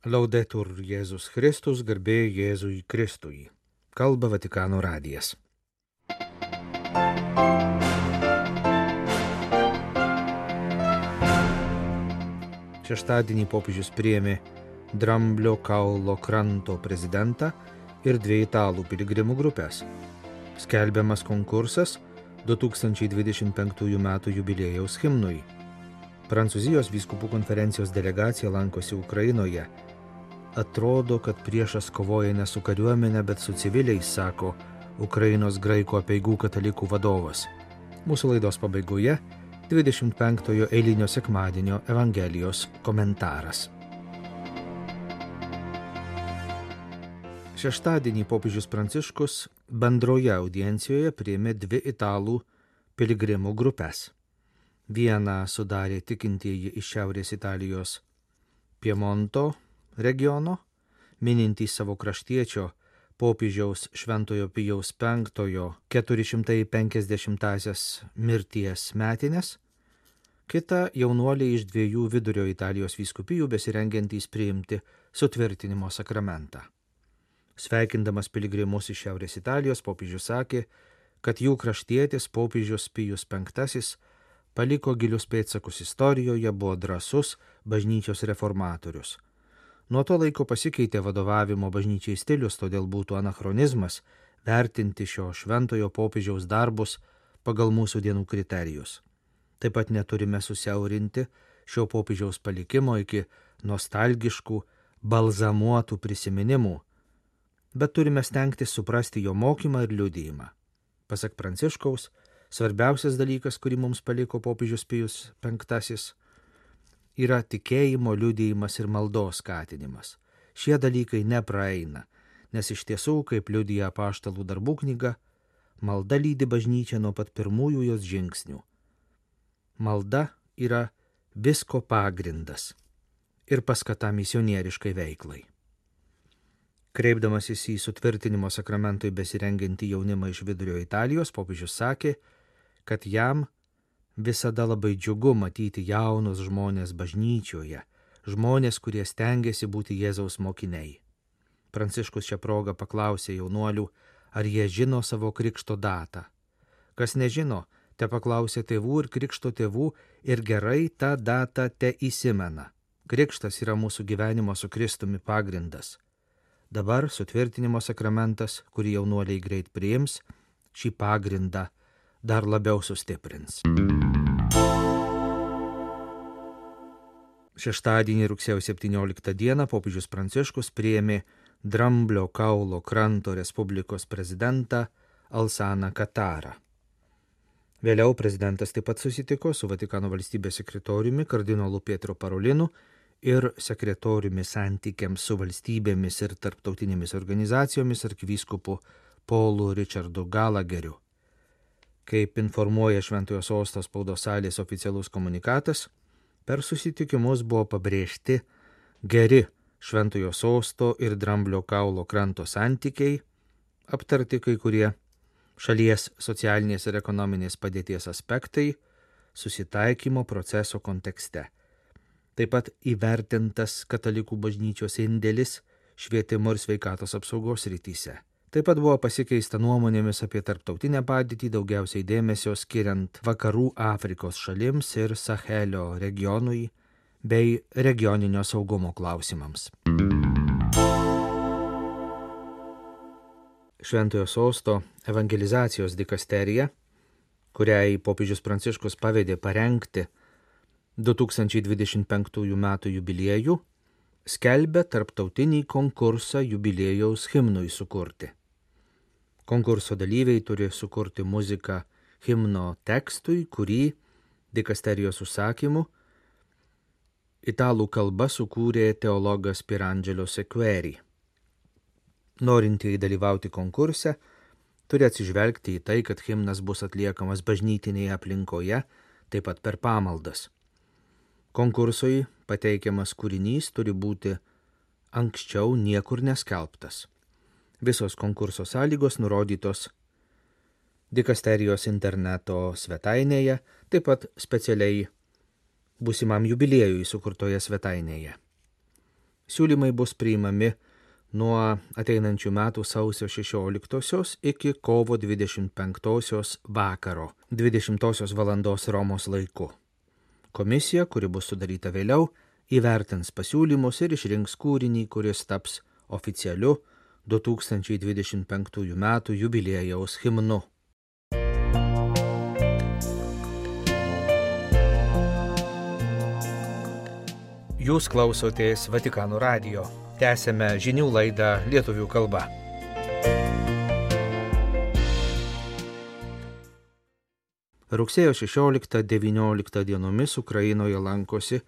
Laudetur Jėzus Kristus, garbė Jėzui Kristui. Kalba Vatikano radijas. Šeštadienį popiežius priėmė Dramblio kaulo kranto prezidentą ir 2 italų piligrimų grupės. Skelbiamas konkursas 2025 m. jubiliejaus himnui. Prancūzijos vyskupų konferencijos delegacija lankosi Ukrainoje. Atrodo, kad priešas kovoja ne su kariuomenė, bet su civiliais, sako Ukrainos graikų apeigų katalikų vadovas. Mūsų laidos pabaigoje 25-ojo eilinio sekmadienio Evangelijos komentaras. Šeštadienį popiežius Pranciškus bendroje audiencijoje priėmė 2 italų piligrimų grupės. Vieną sudarė tikintieji iš Šiaurės Italijos Piemonto regiono, minintys savo kraštiečio popiežiaus Šventojo Pijaus V 450-asias mirties metinės, kita jaunuoliai iš 2 vidurio Italijos vyskupijų besirengiantys priimti sutvirtinimo sakramentą. Sveikindamas piligrimus iš Šiaurės Italijos, popiežius sakė, kad jų kraštietis popiežius Pijus V paliko gilius pėdsakus istorijoje, buvo drąsus bažnyčios reformatorius. Nuo to laiko pasikeitė vadovavimo bažnyčiai stilius, todėl būtų anachronizmas vertinti šio šventojo popiežiaus darbus pagal mūsų dienų kriterijus. Taip pat neturime susiaurinti šio popiežiaus palikimo iki nostalgiškų, balzamuotų prisiminimų, bet turime stengtis suprasti jo mokymą ir liudijimą. Pasak Pranciškaus, svarbiausias dalykas, kurį mums paliko popiežius Pijus V, yra tikėjimo liudijimas ir maldos skatinimas. Šie dalykai nepraeina, nes iš tiesų, kaip liudija Apaštalų darbų knyga, malda lydi bažnyčią nuo pat pirmųjų jos žingsnių. Malda yra visko pagrindas ir paskata misionieriškai veiklai. Kreipdamasis į sutvirtinimo sakramentui besirengiantį jaunimą iš vidurio Italijos, popiežius sakė, kad jam visada labai džiugu matyti jaunus žmonės bažnyčioje, žmonės, kurie stengiasi būti Jėzaus mokiniai. Pranciškus šią progą paklausė jaunuolių, ar jie žino savo krikšto datą. Kas nežino, te paklausė tėvų ir krikšto tėvų ir gerai tą datą te įsimena. Krikštas yra mūsų gyvenimo su Kristumi pagrindas. Dabar sutvirtinimo sakramentas, kurį jaunuoliai greit priims, šį pagrindą dar labiau sustiprins. Šeštadienį rugsėjo 17 dieną popiežius Pranciškus priėmė Dramblio kaulo kranto Respublikos prezidentą Alsaną Katarą. Vėliau prezidentas taip pat susitiko su Vatikano valstybės sekretoriumi kardinolu Pietro Parolinu ir sekretoriumi santykiams su valstybėmis ir tarptautinėmis organizacijomis arkivyskupu Paulu Richardu Gallagheriu. Kaip informuoja Šventojo Sosto spaudos salės oficialus komunikatas, per susitikimus buvo pabrėžti geri Šventojo Sosto ir Dramblio kaulo kranto santykiai, aptarti kai kurie šalies socialinės ir ekonominės padėties aspektai susitaikymo proceso kontekste. Taip pat įvertintas katalikų bažnyčios indėlis švietimo ir sveikatos apsaugos srityse. Taip pat buvo pasikeista nuomonėmis apie tarptautinę padėtį, daugiausiai dėmesio skiriant Vakarų Afrikos šalims ir Sahelio regionui bei regioninio saugumo klausimams. Šventojo Sosto evangelizacijos dikasterija, kuriai popiežius Pranciškus pavedė parengti 2025 m. jubiliejų, skelbia tarptautinį konkursą jubiliejaus himnui sukurti. Konkurso dalyviai turi sukurti muziką himno tekstui, kurį dikasterijos užsakymu italų kalba sukūrė teologas Pierangelo Sequeri. Norintieji dalyvauti konkurse turi atsižvelgti į tai, kad himnas bus atliekamas bažnytinėje aplinkoje, taip pat per pamaldas. Konkursui pateikiamas kūrinys turi būti anksčiau niekur neskelbtas. Visos konkurso sąlygos nurodytos dikasterijos interneto svetainėje, taip pat specialiai būsimam jubiliejui sukurtoje svetainėje. Siūlymai bus priimami nuo ateinančių metų sausio 16 iki kovo 25 vakaro, 20 valandos Romos laiku. Komisija, kuri bus sudaryta vėliau, įvertins pasiūlymus ir išrinks kūrinį, kuris taps oficialiu 2025 metų jubiliejaus himnu. Jūs klausotės Vatikano radijo. Tęsėme žinių laidą lietuvių kalba. Rugsėjo 16-19 dienomis Ukrainoje lankosi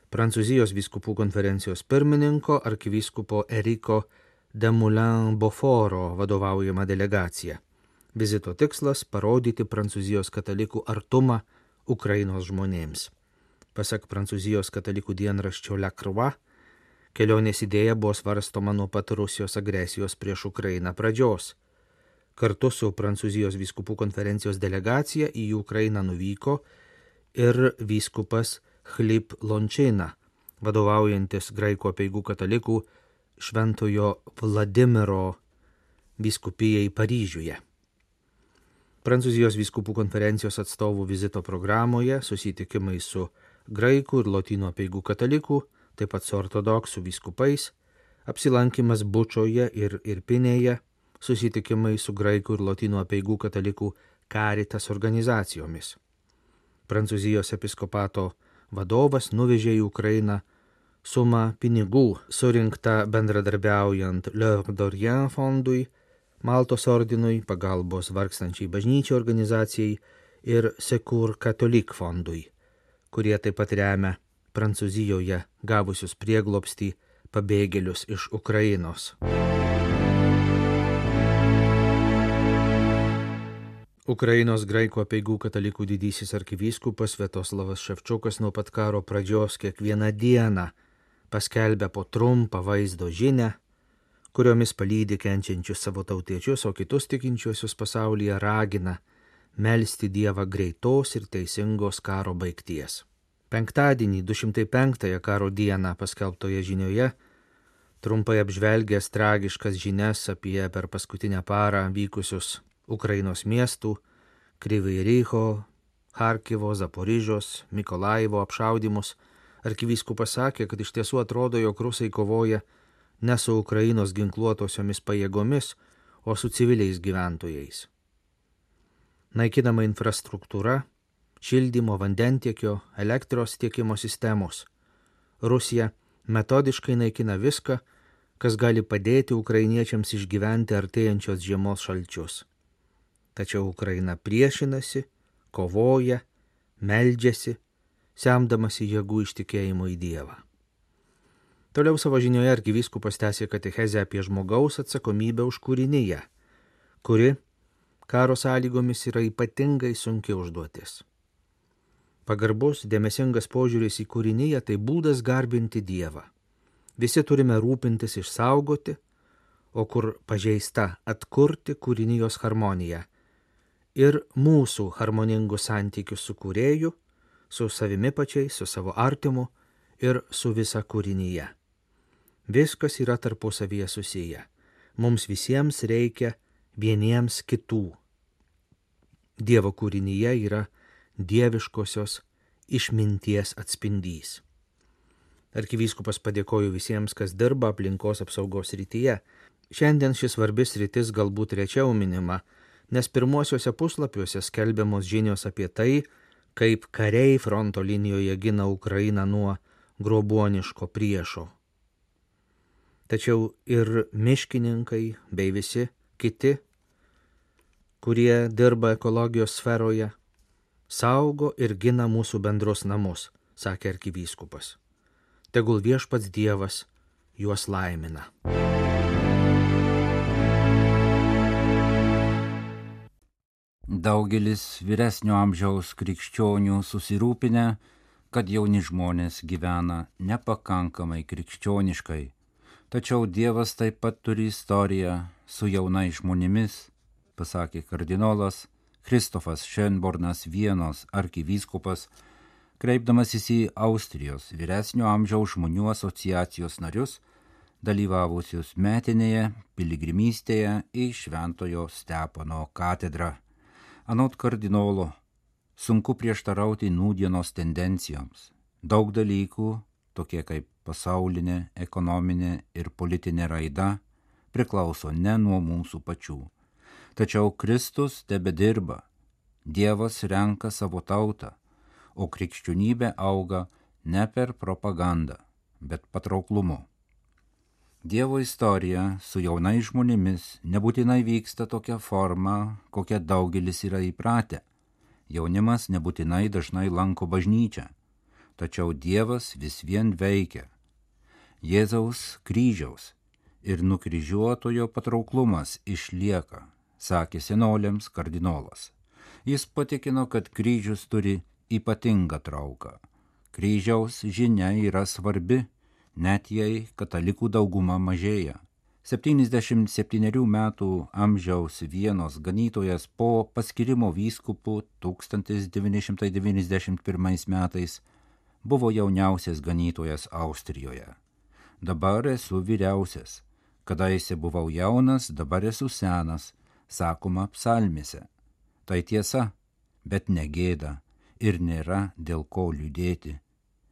Prancūzijos vyskupų konferencijos pirmininko arkivyskupo Eriko de Moulin-Beauforo vadovaujama delegacija. Vizito tikslas – parodyti Prancūzijos katalikų artumą Ukrainos žmonėms. Pasak Prancūzijos katalikų dienraščio La Croix, kelionės idėja buvo svarstoma nuo pat Rusijos agresijos prieš Ukrainą pradžios. Kartu su Prancūzijos vyskupų konferencijos delegacija į Ukrainą nuvyko ir vyskupas Chlip Lončina, vadovaujantis graikų apeigų katalikų Šventojo Vladimiro vyskupijai Paryžiuje. Prancūzijos vyskupų konferencijos atstovų vizito programoje susitikimai su graikų ir lotynų apeigų katalikų, taip pat su ortodoksų vyskupais, apsilankimas Bučoje ir Irpinėje, susitikimai su graikų ir lotynų apeigų katalikų Caritas organizacijomis. Prancūzijos episkopato vadovas nuvežė į Ukrainą sumą pinigų surinktą bendradarbiaujant L'Œuvre d'Orient fondui, Maltos ordinui, pagalbos vargstančiai bažnyčiai organizacijai ir Secours Catholique fondui, kurie taip pat remia Prancūzijoje gavusius prieglobstį pabėgėlius iš Ukrainos. Ukrainos graikų apeigų katalikų didysis arkivyskupas Sviatoslavas Ševčiukas nuo pat karo pradžios kiekvieną dieną paskelbia po trumpą vaizdo žinią, kuriomis palydi kenčiančius savo tautiečius, o kitus tikinčiuosius pasaulyje ragina melsti Dievą greitos ir teisingos karo baigties. Penktadienį, 205 karo dieną paskelbtoje žinioje, trumpai apžvelgęs tragiškas žinias apie per paskutinę parą vykusius Ukrainos miestų, Kryvyj Riho, Charkivo, Zaporižios, Mikolaivo apšaudymus, arkivyskupas sakė, kad iš tiesų atrodo, jog rusai kovoja ne su Ukrainos ginkluotosiomis pajėgomis, o su civiliais gyventojais. Naikinama infrastruktūra, šildymo, vandentiekio, elektros tiekimo sistemos. Rusija metodiškai naikina viską, kas gali padėti ukrainiečiams išgyventi artėjančios žiemos šalčius. Tačiau Ukraina priešinasi, kovoja, meldžiasi, semdamasi jėgų ištikėjimo į Dievą. Toliau savo žinioje arkivyskupas tęsė katechezę apie žmogaus atsakomybę už kūriniją, kuri karo sąlygomis yra ypatingai sunki užduotis. Pagarbus, dėmesingas požiūris į kūriniją tai būdas garbinti Dievą. Visi turime rūpintis išsaugoti, o kur pažeista atkurti kūrinijos harmoniją ir mūsų harmoningus santykius su kūrėju, su savimi pačiais, su savo artimu ir su visa kūrinyje. Viskas yra tarpusavyje susiję. Mums visiems reikia vieniems kitų. Dievo kūrinyje yra dieviškosios išminties atspindys. Arkivyskupas padėkojo visiems, kas dirba aplinkos apsaugos srityje. Šiandien šis svarbis sritis galbūt rečiau minima, nes pirmuosiuose puslapiuose skelbiamos žinios apie tai, kaip kariai fronto linijoje gina Ukrainą nuo grobuoniško priešo. Tačiau ir miškininkai bei visi kiti, kurie dirba ekologijos sferoje, saugo ir gina mūsų bendrus namus, sakė arkivyskupas. Tegul viešpats Dievas juos laimina. Daugelis vyresnio amžiaus krikščionių susirūpinę, kad jauni žmonės gyvena nepakankamai krikščioniškai. Tačiau Dievas taip pat turi istoriją su jaunais žmonėmis, pasakė kardinolas Kristofas Šenbornas, Vienos arkivyskupas, kreipdamasis į Austrijos vyresnio amžiaus žmonių asociacijos narius, dalyvavusius metinėje piligrimystėje į Šventojo Stepono katedrą. Anot kardinolo, sunku prieštarauti nūdienos tendencijoms. Daug dalykų, tokie kaip pasaulinė, ekonominė ir politinė raida, priklauso ne nuo mūsų pačių. Tačiau Kristus tebedirba, Dievas renka savo tautą, o krikščionybė auga ne per propagandą, bet patrauklumu. Dievo istorija su jaunais žmonėmis nebūtinai vyksta tokia forma, kokia daugelis yra įpratę. Jaunimas nebūtinai dažnai lanko bažnyčią, tačiau Dievas vis vien veikia. Jėzaus kryžiaus ir nukryžiuotojo patrauklumas išlieka, sakė senoliams kardinolas. Jis patikino, kad kryžius turi ypatingą trauką. Kryžiaus žinia yra svarbi, net jei katalikų dauguma mažėja. 77 metų amžiaus Vienos ganytojas po paskirimo vyskupu 1991 metais buvo jauniausias ganytojas Austrijoje. Dabar esu vyriausias. Kadaise buvau jaunas, dabar esu senas, sakoma psalmėse. Tai tiesa, bet negėda ir nėra dėl ko liūdėti.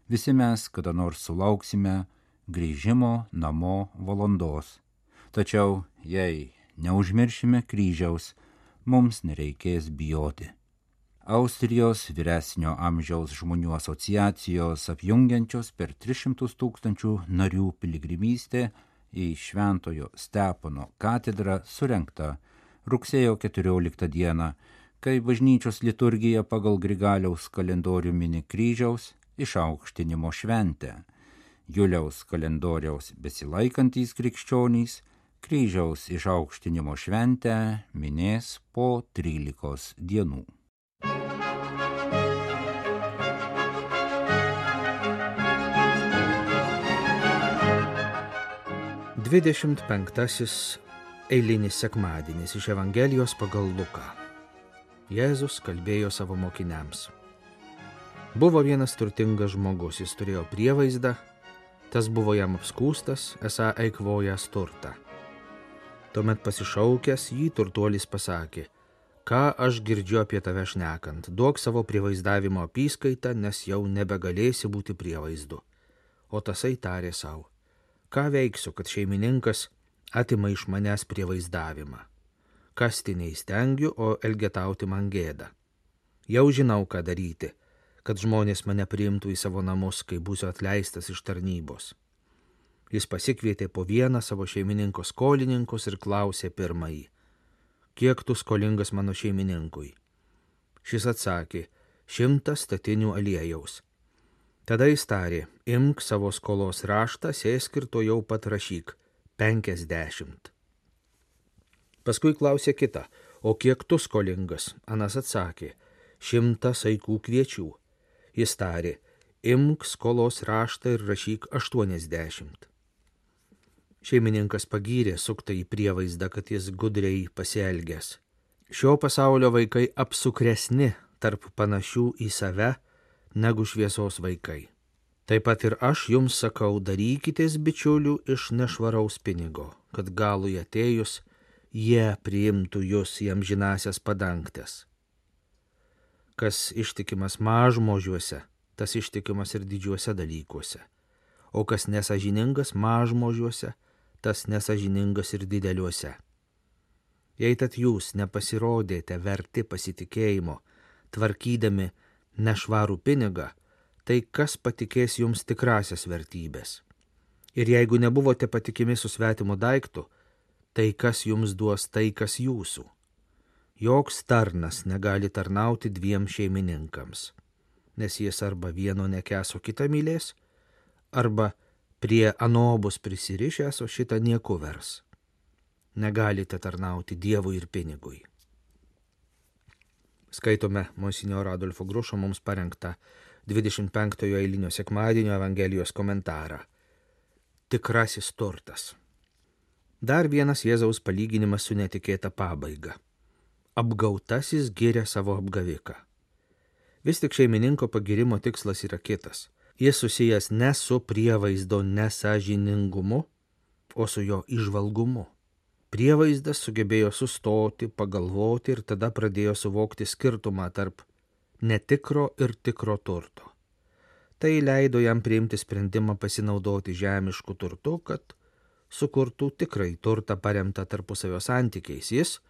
Visi mes kada nors sulauksime grįžimo namo valandos. Tačiau, jei neužmiršime kryžiaus, mums nereikės bijoti. Austrijos vyresnio amžiaus žmonių asociacijos apjungiančios per 300 000 narių piligrimystė į Šventojo Stepono katedrą surengta rugsėjo 14 dieną, kai bažnyčios liturgija pagal Grigaliaus kalendorių mini kryžiaus išaukštinimo šventę. Juliaus kalendoriaus besilaikantys krikščionys kryžiaus išaukštinimo šventę minės po 13 dienų. Dvidešimt penktasis eilinis sekmadienis iš Evangelijos pagal Luką. Jėzus kalbėjo savo mokiniams. Buvo vienas turtingas žmogus, jis turėjo prievaizdą, tas buvo jam apskūstas, esą eikvojęs turtą. Tuomet pasišaukęs jį turtuolis pasakė, ką aš girdžiu apie tave šnekant, duok savo prievaizdavimo apyskaitą, nes jau nebegalėsi būti prievaizdu. O tasai tarė savo, ką veiksiu, kad šeimininkas atima iš manęs prievaizdavimą. Kasti neįstengiu, o elgetauti man gėda. Jau žinau, ką daryti, kad žmonės mane priimtų į savo namus, kai būsiu atleistas iš tarnybos. Jis pasikvietė po vieną savo šeimininko skolininkus ir klausė pirmąjį, kiek tu skolingas mano šeimininkui? Šis atsakė, 100 statinių aliejaus. Tada jis tarė, imk savo skolos raštą, sėsk ir to jau pat rašyk, 50. Paskui klausė kitą, o kiek tu skolingas? Anas atsakė, 100 saikų kviečių. Jis tarė, imk skolos raštą ir rašyk 80. Šeimininkas pagyrė suktąjį prievaizdą, kad jis gudriai pasielgęs. Šio pasaulio vaikai apsukresni tarp panašių į save negu šviesos vaikai. Taip pat ir aš jums sakau, darykitės bičiulių iš nešvaraus pinigo, kad galui atėjus jie priimtų jūs į amžinąsias padangtes. Kas ištikimas mažmožiuose, tas ištikimas ir didžiuose dalykuose, o kas nesažiningas mažmožiuose, tas nesažiningas ir dideliuose. Jei tad jūs nepasirodėte verti pasitikėjimo, tvarkydami nešvarų pinigą, tai kas patikės jums tikrasias vertybės? Ir jeigu nebuvote patikimi su svetimu daiktu, tai kas jums duos tai, kas jūsų? Joks tarnas negali tarnauti 2 šeimininkams, nes jis arba vieno nekęs, o kitą mylės, arba prie ano bus prisirišęs, o šitą nieku vers. Negalite tarnauti Dievui ir pinigui. Skaitome monsinjoro Adolfo Grušo mums parengtą 25 eilinio sekmadienio Evangelijos komentarą. Tikrasis turtas. Dar vienas Jėzaus palyginimas su netikėta pabaiga. Apgautasis giria savo apgaviką. Vis tik šeimininko pagirimo tikslas yra kitas. Jis susijęs ne su prievaizdo nesąžiningumu, o su jo įžvalgumu. Prievaizdas sugebėjo sustoti, pagalvoti ir tada pradėjo suvokti skirtumą tarp netikro ir tikro turto. Tai leido jam priimti sprendimą pasinaudoti žemišku turtu, kad sukurtų tikrai turtą paremtą tarpusavio santykiais. Jis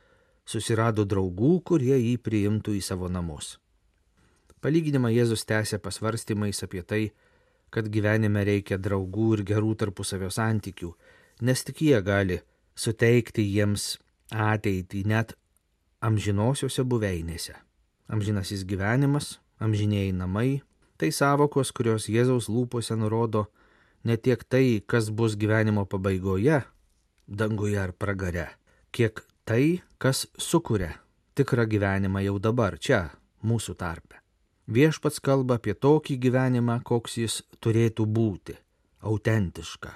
susirado draugų, kurie jį priimtų į savo namus. Palyginimą Jėzus tęsė pasvarstymais apie tai, kad gyvenime reikia draugų ir gerų tarpusavio santykių, nes tik jie gali suteikti jiems ateitį net amžinosiuose buveinėse. Amžinasis gyvenimas, amžinėjai namai, tai sąvokos, kurios Jėzaus lūpose nurodo ne tiek tai, kas bus gyvenimo pabaigoje, danguje ar pragare, kiek tai, kas sukuria tikrą gyvenimą jau dabar, čia, mūsų tarpe. Viešpats kalba apie tokį gyvenimą, koks jis turėtų būti, autentišką,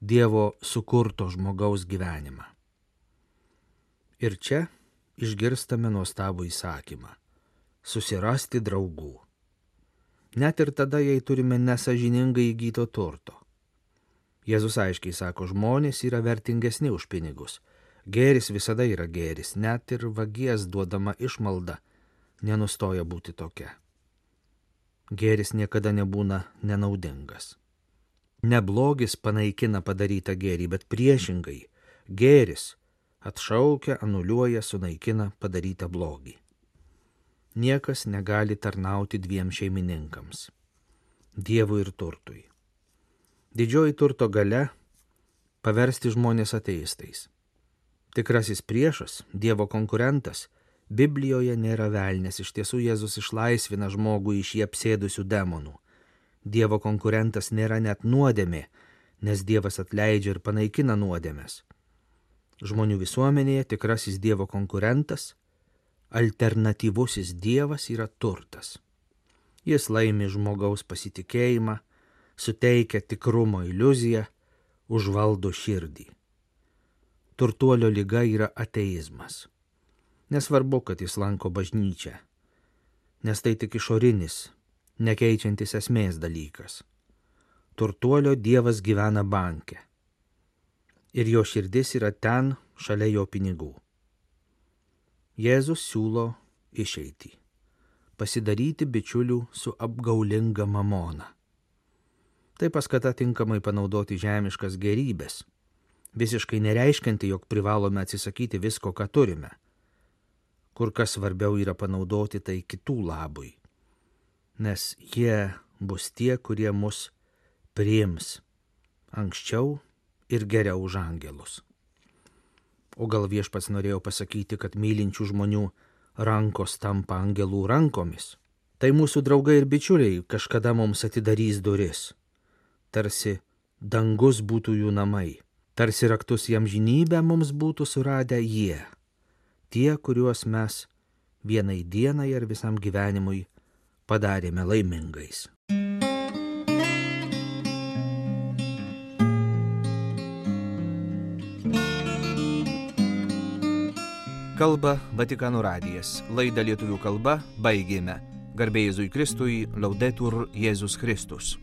Dievo sukurto žmogaus gyvenimą. Ir čia išgirstame nuostabų įsakymą – susirasti draugų. Net ir tada, jei turime nesąžiningai įgyto turto. Jėzus aiškiai sako, žmonės yra vertingesni už pinigus. Gėris visada yra gėris, net ir vagies duodama išmalda nenustoja būti tokia. Gėris niekada nebūna nenaudingas. Ne blogis panaikina padarytą gėrį, bet priešingai, gėris atšaukia, anuliuoja, sunaikina padarytą blogį. Niekas negali tarnauti dviem šeimininkams – Dievui ir turtui. Didžioji turto galia – paversti žmonės ateistais. Tikrasis priešas, Dievo konkurentas, Biblijoje nėra velnias, iš tiesų Jėzus išlaisvina žmogų iš jį apsėdusių demonų. Dievo konkurentas nėra net nuodėmė, nes Dievas atleidžia ir panaikina nuodėmes. Žmonių visuomenėje tikrasis Dievo konkurentas, alternatyvusis Dievas yra turtas. Jis laimi žmogaus pasitikėjimą, suteikia tikrumo iliuziją, užvaldo širdį. Turtuolio liga yra ateizmas. Nesvarbu, kad jis lanko bažnyčią, nes tai tik išorinis, nekeičiantis esmės dalykas. Turtuolio Dievas gyvena banke. Ir jo širdis yra ten, šalia jo pinigų. Jėzus siūlo išeitį – pasidaryti bičiulių su apgaulinga mamona. Tai paskata tinkamai panaudoti žemiškas gėrybės, visiškai nereiškianti, jog privalome atsisakyti visko, ką turime. Kur kas svarbiau yra panaudoti tai kitų labui, nes jie bus tie, kurie mus priims anksčiau ir geriau už angelus. O gal Viešpats norėjo pasakyti, kad mylinčių žmonių rankos tampa angelų rankomis? Tai mūsų draugai ir bičiuliai kažkada mums atidarys duris. Tarsi dangus būtų jų namai, tarsi raktus į amžinybę mums būtų suradę jie. Tie, kuriuos mes vienai dienai ar visam gyvenimui padarėme laimingais. Kalba Vatikano radijas. Laidą lietuvių kalba baigėme. Garbė Jėzui Kristui, Laudetur Jėzus Kristus.